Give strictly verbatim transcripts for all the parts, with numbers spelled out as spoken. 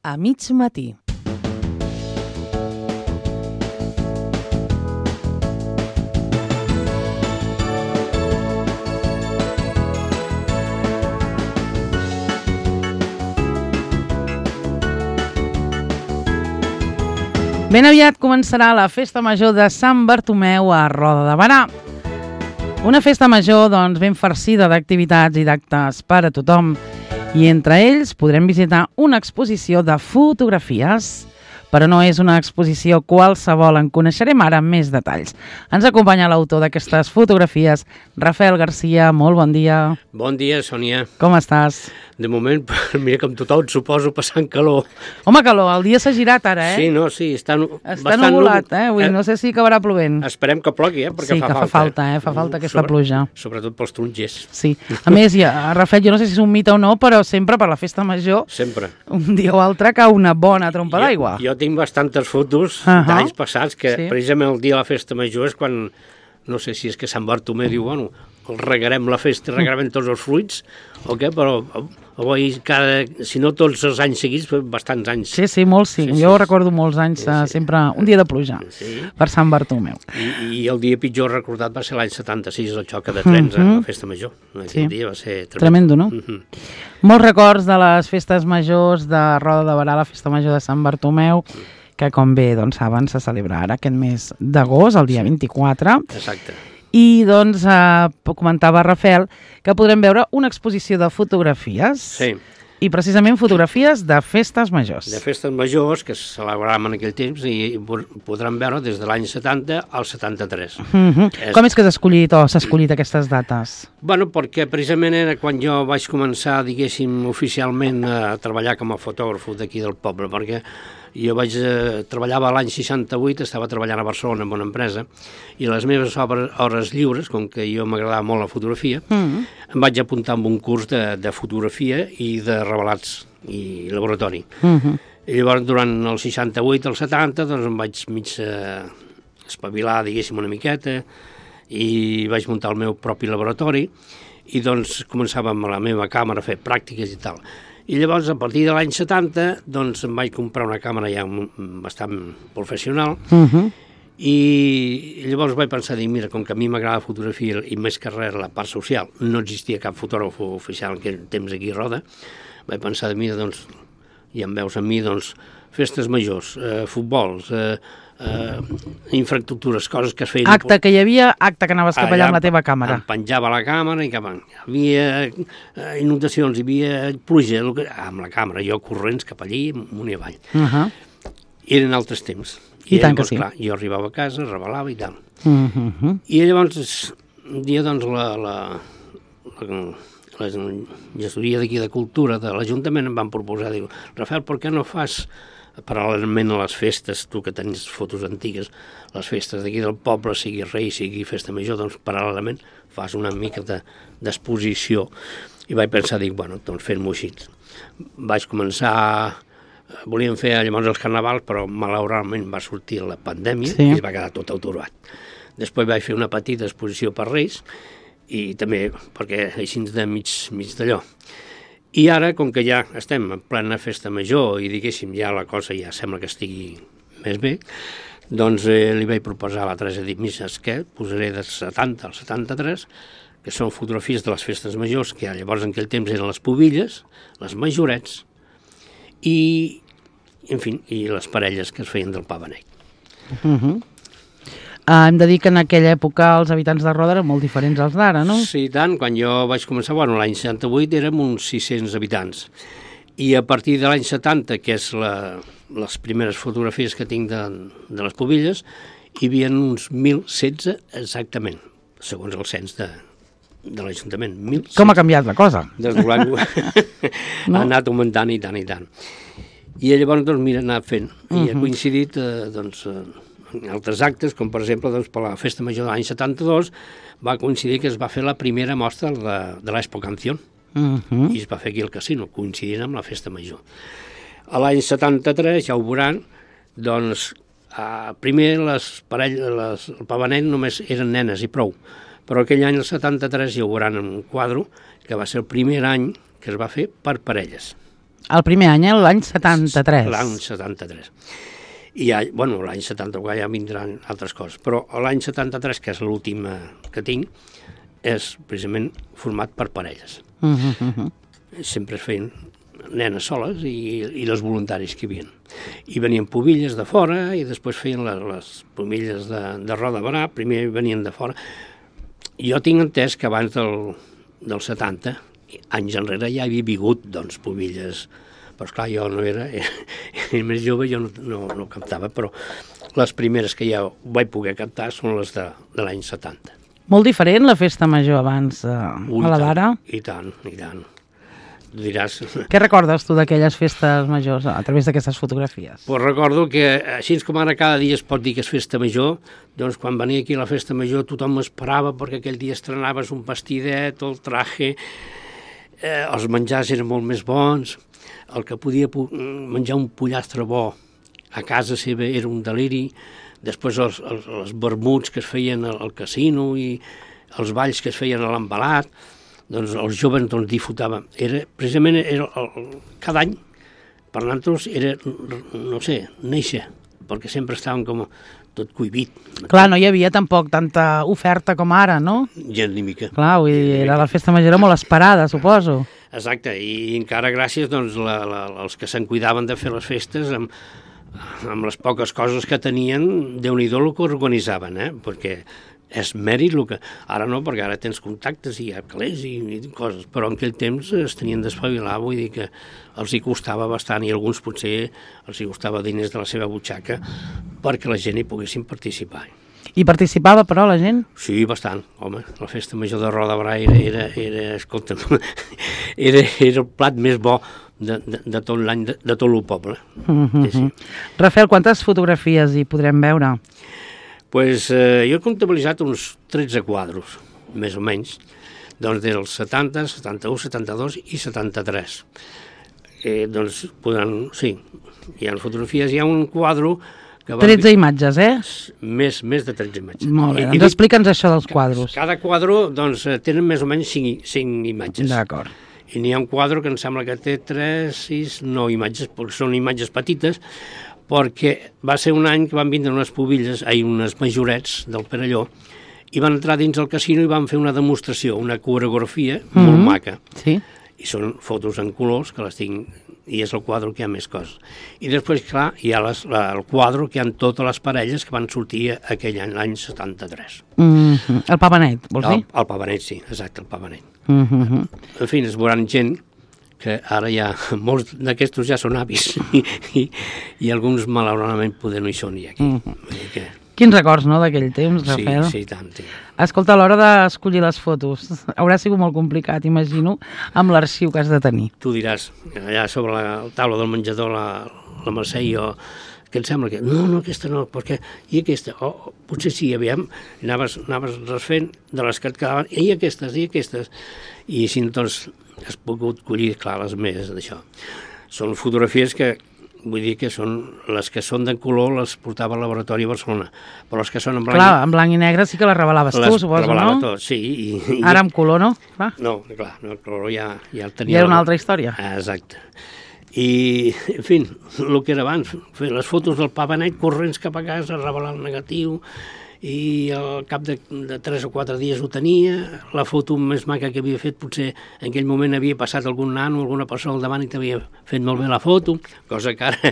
a mig matí. Ben aviat començarà la Festa Major de Sant Bartomeu a Roda de Berà. Una festa major doncs, ben farcida d'activitats i d'actes per a tothom. I entre ells podrem visitar una exposició de fotografies. Però no és una exposició qualsevol, en coneixerem ara més detalls. Ens acompanya l'autor d'aquestes fotografies, Rafael Garcia. Molt bon dia. Bon dia, Sònia. Com estàs? De moment, mira, com tothom, suposo, passant calor. Home, calor, el dia s'ha girat ara, eh? Sí, no, sí, està, està nuvolat, eh? Avui, no sé si acabarà plovent. Esperem que plogui, eh? Perquè sí, fa que falta. fa falta, eh? Fa falta aquesta Sobre, pluja. Sobretot pels tronjers. Sí. A més, ja, Rafael, jo no sé si és un mite o no, però sempre per la festa major, sempre, un dia o altre cau una bona trompa d'aigua. Jo, jo tinc bastantes fotos uh -huh. d'anys passats que sí. Precisament el dia de la festa major és quan, no sé si és que Sant Bartomeu diu, bueno, regarem la festa, regarem tots els fruits, o què, però avui, cada, si no tots els anys seguits, bastants anys. Sí, sí, molts sí. sí jo sí. recordo molts anys, sí, sí. sempre un dia de pluja sí. per Sant Bartomeu. I, I el dia pitjor recordat va ser l'any setanta-sis, el xoc de trens uh -huh. a la festa major. Aquell sí. dia va ser tremendo. Tremendo, no? Uh -huh. Molts records de les festes majors de Roda de Berà, la festa major de Sant Bartomeu, que com bé doncs, saben se celebra ara aquest mes d'agost, el dia vint-i-quatre. Exacte. I doncs eh, comentava Rafael que podrem veure una exposició de fotografies. Sí. I precisament fotografies de festes majors. De festes majors que es celebraven en aquell temps i podran veure des de l'any setanta al setanta-tres. Uh -huh. és... Com és que s'ha escollit o s'ha escollit aquestes dates? Bueno, perquè precisament era quan jo vaig començar, diguéssim, oficialment a treballar com a fotògraf d'aquí del poble, perquè jo vaig eh, treballava l'any seixanta-vuit, estava treballant a Barcelona en una empresa, i les meves obres, hores lliures, com que jo m'agradava molt la fotografia, uh -huh. em vaig apuntar amb un curs de, de fotografia i de revelats i laboratori. Uh -huh. I llavors, durant el seixanta-vuit al setanta, doncs em vaig mig eh, espavilar, diguéssim, una miqueta, i vaig muntar el meu propi laboratori, i doncs començava amb la meva càmera a fer pràctiques i tal. I llavors, a partir de l'any setanta, doncs em vaig comprar una càmera ja bastant professional, uh -huh. i llavors vaig pensar, dir, mira, com que a mi m'agrada la fotografia i més que res la part social, no existia cap fotògraf oficial en aquell temps aquí a Roda, vaig pensar, mira, doncs, ja em veus a mi, doncs, festes majors, eh, futbols, eh, eh, infraestructures, coses que es feien... Acte que hi havia, acte que anaves cap allà amb la teva càmera. Em penjava la càmera i cap hi havia eh, inundacions, hi havia pluja, que, amb la càmera, jo corrents cap allí, amunt i avall. Uh -huh. Eren altres temps. I, I tant llavors, que sí. Clar, jo arribava a casa, revelava i tal. Uh -huh. I llavors, un dia, doncs, la... la, la la gestoria d'aquí de Cultura de l'Ajuntament em van proposar, diu, Rafael, per què no fas paral·lelment a les festes, tu que tens fotos antigues, les festes d'aquí del poble, sigui rei, sigui festa major, doncs paral·lelament fas una mica d'exposició. I vaig pensar, dic, bueno, doncs fem-ho així. Vaig començar, volíem fer llavors els carnavals, però malauradament va sortir la pandèmia sí. i es va quedar tot aturat. Després vaig fer una petita exposició per Reis, i també perquè així de mig, mig d'allò. I ara, com que ja estem en plena festa major i diguéssim ja la cosa ja sembla que estigui més bé, doncs eh, li vaig proposar a la Teresa, dic, mira, què? Posaré de setanta al setanta-tres, que són fotografies de les festes majors, que llavors en aquell temps eren les pubilles, les majorets, i, en fi, i les parelles que es feien del pa beneit. Uh -huh. Uh, hem de dir que en aquella època els habitants de Roda eren molt diferents als d'ara, no? Sí, tant. Quan jo vaig començar, bueno, l'any seixanta-vuit érem uns sis-cents habitants. I a partir de l'any setanta, que és la, les primeres fotografies que tinc de, de les pubilles, hi havia uns mil setze exactament, segons el cens de, de l'Ajuntament. mil setze. Com ha canviat la cosa? Des de l'any no? Ha anat augmentant i tant i tant. I llavors, doncs, mira, anar fent. I uh -huh. ha coincidit, eh, doncs... Eh, altres actes, com per exemple doncs, per la Festa Major de l'any setanta-dos va coincidir que es va fer la primera mostra de, de l'Expo Canción uh -huh. i es va fer aquí al casino, coincidint amb la Festa Major. A l'any setanta-tres, ja ho veuran, doncs eh, primer les parelles, les, el pavanet només eren nenes i prou, però aquell any, el setanta-tres, ja ho veuran en un quadre, que va ser el primer any que es va fer per parelles. El primer any, eh? L'any setanta-tres. L'any setanta-tres. I ja, bueno, l'any setanta-quatre ja vindran altres coses, però l'any setanta-tres, que és l'últim que tinc, és precisament format per parelles. Uh -huh, uh -huh. Sempre es feien nenes soles i, i les voluntaris que hi havia. I venien pobilles de fora i després feien les, les pomilles de, de Roda de Barà, primer venien de fora. Jo tinc entès que abans del, del setanta, anys enrere, ja havia vingut, doncs, pobilles, però esclar, jo no era, era, era més jove, jo no, no, no cantava, però les primeres que ja vaig poder cantar són les de, de l'any setanta. Molt diferent la festa major abans eh, Ui, a la d'ara? I tant, i tant. Tu diràs... Què recordes tu d'aquelles festes majors a través d'aquestes fotografies? Pues recordo que, així com ara cada dia es pot dir que és festa major, doncs quan venia aquí a la festa major tothom esperava perquè aquell dia estrenaves un vestidet, el traje, eh, els menjars eren molt més bons, el que podia menjar un pollastre bo a casa seva era un deliri, després els, els, els vermuts que es feien al, al casino i els balls que es feien a l'embalat, doncs els joves doncs, disfrutaven. Era, precisament era el, el, cada any, per nosaltres, era, no sé, néixer, perquè sempre estàvem com tot cohibit. Clar, no hi havia tampoc tanta oferta com ara, no? Gent ni mica. Clar, vull dir, era la festa major molt esperada, suposo. Exacte, i encara gràcies doncs, la, la, els que se'n cuidaven de fer les festes amb, amb les poques coses que tenien, Déu-n'hi-do el que organitzaven, eh? Perquè és mèrit el que... Ara no, perquè ara tens contactes i hi ha calés i, i coses, però en aquell temps es tenien d'espavilar, vull dir que els hi costava bastant i alguns potser els hi costava diners de la seva butxaca perquè la gent hi poguessin participar. I participava, però, la gent? Sí, bastant, home. La festa major de Roda de Barà era, era, era escolta'm, era, era el plat més bo de, de, de tot l'any, de, de tot el poble. Mm-hmm. Sí, sí. Rafael, quantes fotografies hi podrem veure? Pues, eh, jo he comptabilitzat uns tretze quadros, més o menys, doncs dels setanta, setanta-u, setanta-dos i setanta-tres. Eh, doncs podran, sí, hi ha fotografies, hi ha un quadro que va... tretze imatges, eh? Més, més de tretze imatges. Molt bé, I, doncs explica'ns això dels quadros. Cada quadro, doncs, tenen més o menys cinc, cinc imatges. D'acord. I n'hi ha un quadre que em sembla que té tres, sis, nou imatges, perquè són imatges petites, perquè va ser un any que van vindre unes pobilles, ai, unes majorets del Perelló, i van entrar dins el casino i van fer una demostració, una coreografia mm-hmm. molt maca. Sí. I són fotos en colors, que les tinc, i és el quadre que hi ha més coses. I després, clar, hi ha les, la, el quadre que hi ha totes les parelles que van sortir aquell any, l'any setanta-tres. Mm-hmm. El Papa Net, vols dir? El, el Papa Net, sí, exacte, el Papa Net. Mm-hmm. En fi, es veuran gent que ara ja, molts d'aquestos ja són avis i, i, i alguns malauradament poder no hi són ja aquí. Mm-hmm. Que... Quins records, no, d'aquell temps, Rafael? Sí, sí, tant, sí. Escolta, a l'hora d'escollir les fotos, haurà sigut molt complicat, imagino, amb l'arxiu que has de tenir. Tu diràs, allà sobre la taula del menjador, la, la Mercè i jo, que em sembla que, no, no, aquesta no, perquè, i aquesta, oh, potser sí, aviam, anaves, anaves refent de les que et quedaven, i aquestes, i aquestes, i així, doncs, has pogut collir, clar, les més d'això. Són fotografies que, vull dir que són, les que són de color les portava al laboratori a Barcelona, però les que són en blanc... Clar, en blanc i negre sí que les revelaves tu, suposo, no? Les revelava tot, sí. I, i... Ara amb color, no? Clar. No, clar, no, el color ja, ja el tenia... Ja era una altra història. Exacte. I, en fi, el que era abans, fer les fotos del Papa Net corrents cap a casa, revelar el negatiu, i al cap de, de tres o quatre dies ho tenia, la foto més maca que havia fet, potser en aquell moment havia passat algun nano, alguna persona al davant i t'havia fet molt bé la foto, cosa que ara,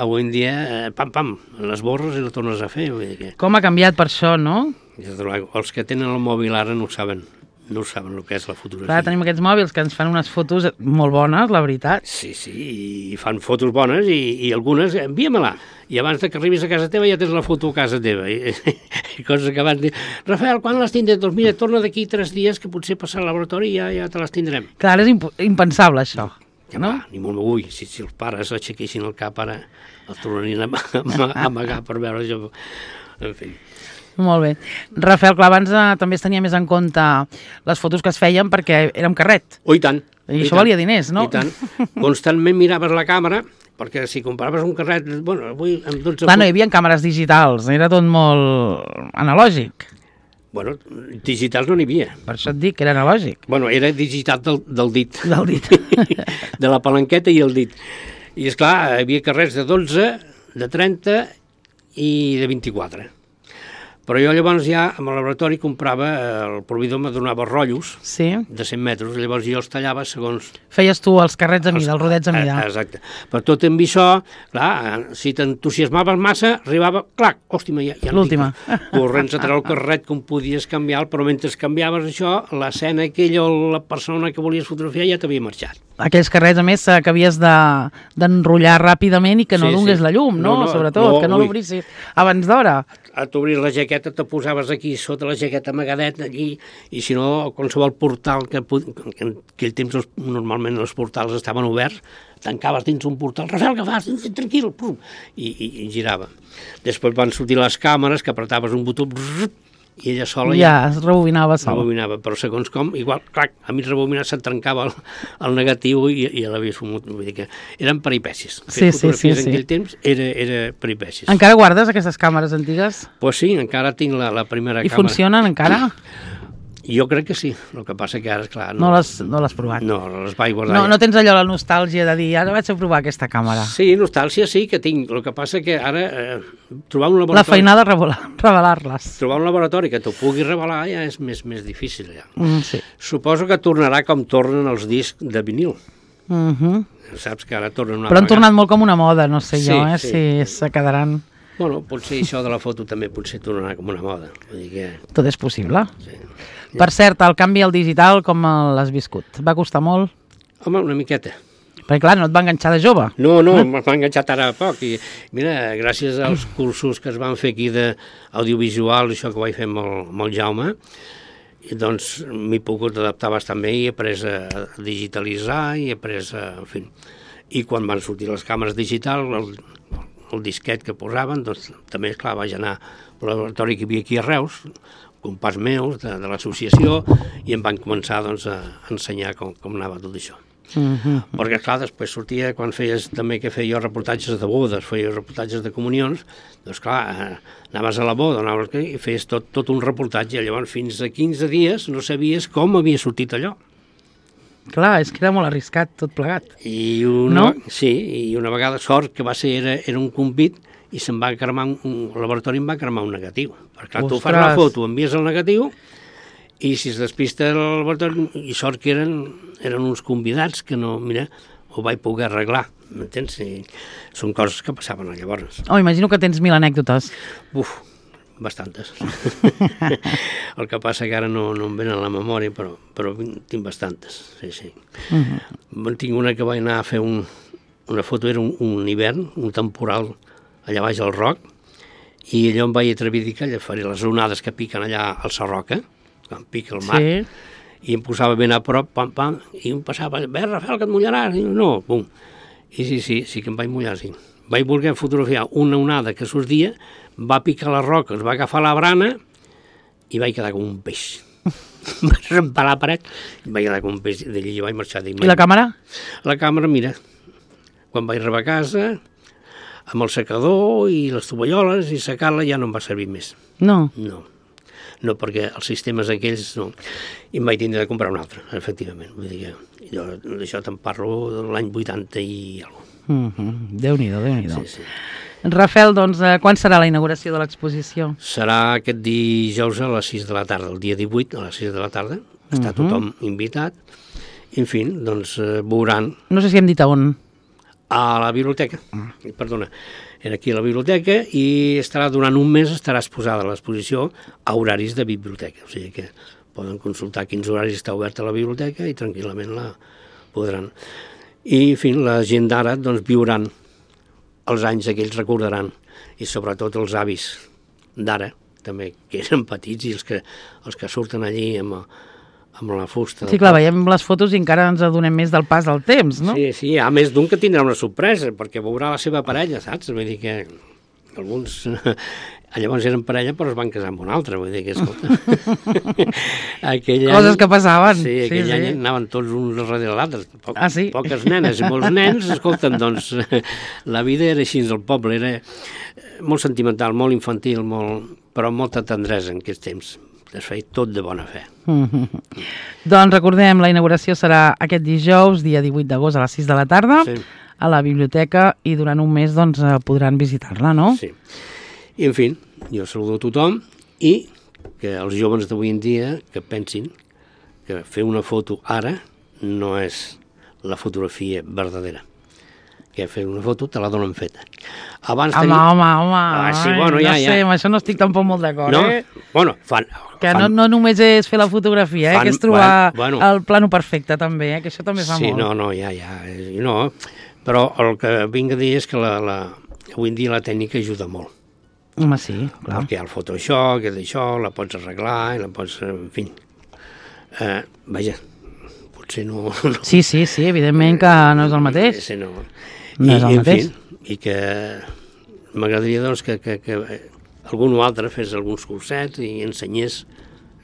avui en dia, eh, pam, pam, les borres i la tornes a fer. Vull dir que... Com ha canviat per això, no? Els que tenen el mòbil ara no ho saben. No saben el que és la fotografia. Clar, tenim aquests mòbils que ens fan unes fotos molt bones, la veritat. Sí, sí, i fan fotos bones i, i algunes, envia-me-la. I abans que arribis a casa teva ja tens la foto a casa teva. I, i coses que abans dir, Rafael, quan les tindré? Doncs mira, torna d'aquí tres dies que potser passar al laboratori i ja, ja te les tindrem. Clar, és imp impensable això. Ja no? Va, ni molt m'ho si, si els pares aixequessin el cap ara, els tornarien a, a, a amagar per veure això. En fi. Molt bé. Rafael, clar, abans eh, també es tenia més en compte les fotos que es feien perquè era amb carret. Oh, i tant. I, I això tant. Valia diners, no? I tant. Constantment miraves la càmera, perquè si compraves un carret... Bueno, avui amb dotze... Clar, no hi havia càmeres digitals, era tot molt analògic. Bueno, digitals no n'hi havia. Per això et dic que era analògic. Bueno, era digital del, del dit. Del dit. De la palanqueta i el dit. I, esclar, hi havia carrers de dotze, de trenta i de vint-i-quatre. Però jo llavors ja, amb el laboratori, comprava, el proveïdor me donava rotllos sí. de cent metres, llavors jo els tallava segons... Feies tu els carrets a mida, els rodets a mida. Exacte. Però tot amb això, clar, si t'entusiasmaves massa, arribava, clar, hòstima, ja, ja l'última. Corrents a treure el carret com podies canviar, però mentre canviaves això, l'escena aquella o la persona que volies fotografiar ja t'havia marxat. Aquells carrets, a més, que havies d'enrotllar de, ràpidament i que no sí, donés sí. la llum, no? no, no Sobretot, no, que no l'obrissis abans d'hora. A t'obrir la jaqueta, te posaves aquí sota la jaqueta amagadet allí, i si no, qualsevol portal que, que en aquell temps els, normalment els portals estaven oberts, tancaves dins un portal, Rafael, què fas? Tranquil, pum, i, i, i girava. Després van sortir les càmeres, que apretaves un botó, brrr, i ella sola... Ja, es rebobinava sola. Rebobinava, però segons com, igual, clar, a mi rebobinar se'n trencava el, el negatiu i, i l'havies fumut. Vull dir que eren peripècies. Sí, sí, sí, en sí. aquell temps era, era peripècies. Encara guardes aquestes càmeres antigues? Doncs pues sí, encara tinc la, la primera I càmera. I funcionen encara? Jo crec que sí, el que passa que ara, esclar... No, no l'has no provat? No, les vaig guardar. No, no tens allò la nostàlgia de dir, ara vaig a provar aquesta càmera. Sí, nostàlgia sí que tinc, el que passa que ara eh, trobar un laboratori... La feinada de revelar-les. Trobar un laboratori que t'ho pugui revelar ja és més, més difícil, ja. Mm, sí. Suposo que tornarà com tornen els discs de vinil. Mm -hmm. Saps que ara tornen una Però han tornat molt com una moda, no sé sí, jo, eh, sí. si se quedaran... Bueno, potser això de la foto també potser tornarà com una moda. Vull dir que... Tot és possible. Sí. Per cert, el canvi al digital, com l'has viscut? Va costar molt? Home, una miqueta. Perquè, clar, no et va enganxar de jove. No, no, m'ha enganxat ara poc. I, mira, gràcies als cursos que es van fer aquí d'audiovisual, això que vaig fer amb el, amb el Jaume, i doncs m'he pogut adaptar bastant bé i he après a digitalitzar i he après a... En fi. I quan van sortir les càmeres digitals, el, el disquet que posaven, doncs també, esclar, vaig anar al laboratori que hi havia aquí a Reus, companys meus de, de l'associació, i em van començar doncs, a ensenyar com, com anava tot això. Uh -huh. Perquè, clar, després sortia, quan feies també que feia reportatges de bodes, feia reportatges de comunions, doncs, clar, anaves a la boda, anaves i feies tot, tot un reportatge, llavors fins a quinze dies no sabies com havia sortit allò. Clar, és que era molt arriscat tot plegat. I una, no? Sí, i una vegada, sort que va ser, era, era un convit, i se'm va cremar, un, el laboratori em va cremar un negatiu. Perquè, clar, tu fas la foto, envies el negatiu, i si es despista el laboratori, i sort que eren, eren uns convidats que no, mira, ho vaig poder arreglar, m'entens? I són coses que passaven llavors. Oh, imagino que tens mil anècdotes. Uf, bastantes. El que passa que ara no, no em venen a la memòria, però, però tinc bastantes, sí, sí. Uh -huh. Tinc una que vaig anar a fer un, una foto, era un, un hivern, un temporal, allà baix al Roc, i allò em vaig atrevir a dir que allà faria les onades que piquen allà al Sarroca, quan pica el mar, sí. I em posava ben a prop, pam, pam, i em passava, bé, Rafael, que et mullaràs, i no, bum. I sí, sí, sí que em vaig mullar, sí. Vaig voler fotografiar una onada que sortia, va picar les roques, va agafar la brana, i vaig quedar com un peix. Vaig rempar la paret, i vaig quedar com un peix, d'allí vaig marxar. I la càmera? La càmera, mira, quan vaig arribar a casa, amb el secador i les tovalloles i secar-la ja no em va servir més. No? No, no perquè els sistemes aquells no. I em vaig tindre de comprar un altre, efectivament. Vull dir que jo d'això te'n parlo de l'any vuitanta i alguna cosa. Uh -huh. Déu-n'hi-do, Déu-n'hi-do. Sí, sí. Rafael, doncs, eh, quan serà la inauguració de l'exposició? Serà aquest dijous a les sis de la tarda, el dia divuit a les sis de la tarda. Està uh -huh. tothom invitat. I, en fi, doncs, eh, veuran... No sé si hem dit a on. A la biblioteca, mm. perdona, era aquí a la biblioteca i estarà durant un mes, estarà exposada l'exposició a horaris de biblioteca, o sigui que poden consultar quins horaris està oberta la biblioteca i tranquil·lament la podran. I, en fi, la gent d'ara doncs viuran els anys que ells recordaran i sobretot els avis d'ara, també, que eren petits i els que, els que surten allí amb amb la fusta. Sí, clar, veiem les fotos i encara ens adonem més del pas del temps, no? Sí, sí, a més d'un que tindrà una sorpresa, perquè veurà la seva parella, saps? Vull dir que alguns llavors eren parella però es van casar amb un altre, vull dir que, escolta... Coses any, que passaven. Sí, aquell sí, any sí. anaven tots uns darrere l'altre, po ah, sí? poques nenes i molts nens, escolten, doncs la vida era així al poble, era molt sentimental, molt infantil, molt, però amb molta tendresa en aquests temps. es feia tot de bona fe. Mm-hmm. Doncs recordem, la inauguració serà aquest dijous, dia divuit d'agost a les sis de la tarda, sí. a la biblioteca, i durant un mes doncs, podran visitar-la, no? Sí. I, en fi, jo saludo a tothom i que els joves d'avui en dia que pensin que fer una foto ara no és la fotografia verdadera. Que fer una foto te la donen feta. Abans home, tenia... home, home, ah, sí, bueno, ja, no sé, ja. amb això no estic tampoc molt d'acord, no? eh? Bueno, fan... Que fan... no, no només és fer la fotografia, eh? Fan... que és trobar bueno, el plano perfecte, també, eh? Que això també fa sí, molt. Sí, no, no, ja, ja, no, però el que vinc a dir és que la, la... avui en dia la tècnica ajuda molt. Home, sí, clar. Perquè hi ha el Photoshop, que d'això, la pots arreglar, i la pots... En fi, eh, vaja, potser no... no. Sí, sí, sí, evidentment que no és el mateix. Sí, no. No I, és el i, mateix. En fi, i que m'agradaria doncs, que, que, que algun o altre fes alguns cursets i ensenyés,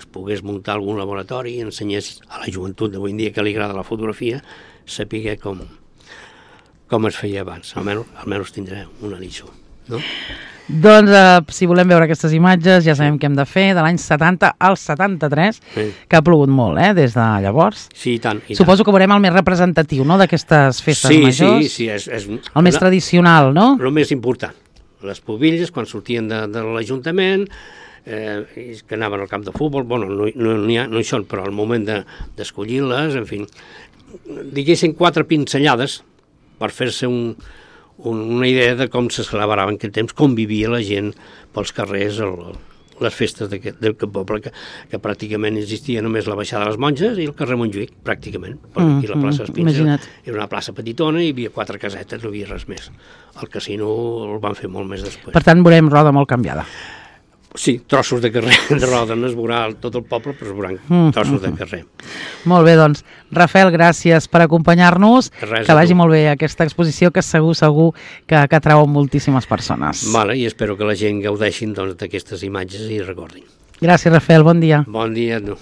es pogués muntar algun laboratori i ensenyés a la joventut d'avui en dia que li agrada la fotografia, saber com, com es feia abans. Almenys, almenys tindré un anitxo, no? Doncs, eh, si volem veure aquestes imatges, ja sabem què hem de fer, de l'any setanta al setanta-tres, sí. que ha plogut molt, eh, des de llavors. Sí, i tant. I Suposo tant. que veurem el més representatiu, no?, d'aquestes festes sí, majors. Sí, sí, és... és el més la, tradicional, no? El més important. Les pobilles, quan sortien de, de l'Ajuntament, eh, que anaven al camp de futbol, bueno, no, no, no, hi ha, no hi són, però al moment d'escollir-les, de, en fi, diguéssim quatre pinzellades per fer-se un... una idea de com se celebrava en aquell temps, com vivia la gent pels carrers, el, les festes d'aquest poble, que, que pràcticament existia només la baixada de les Monges i el carrer Montjuïc, pràcticament. Mm, aquí la plaça Espins era, era una plaça petitona i hi havia quatre casetes, no hi havia res més. El casino el van fer molt més després. Per tant, veurem Roda molt canviada. Sí, trossos de carrer de Roda, no es veurà tot el poble, però es veuran mm, trossos de carrer. Molt bé, doncs, Rafael, gràcies per acompanyar-nos, que vagi molt bé aquesta exposició, que segur, segur que, que atrau moltíssimes persones. Vale, i espero que la gent gaudeixin doncs, d'aquestes imatges i recordin. Gràcies, Rafael, bon dia. Bon dia a tu.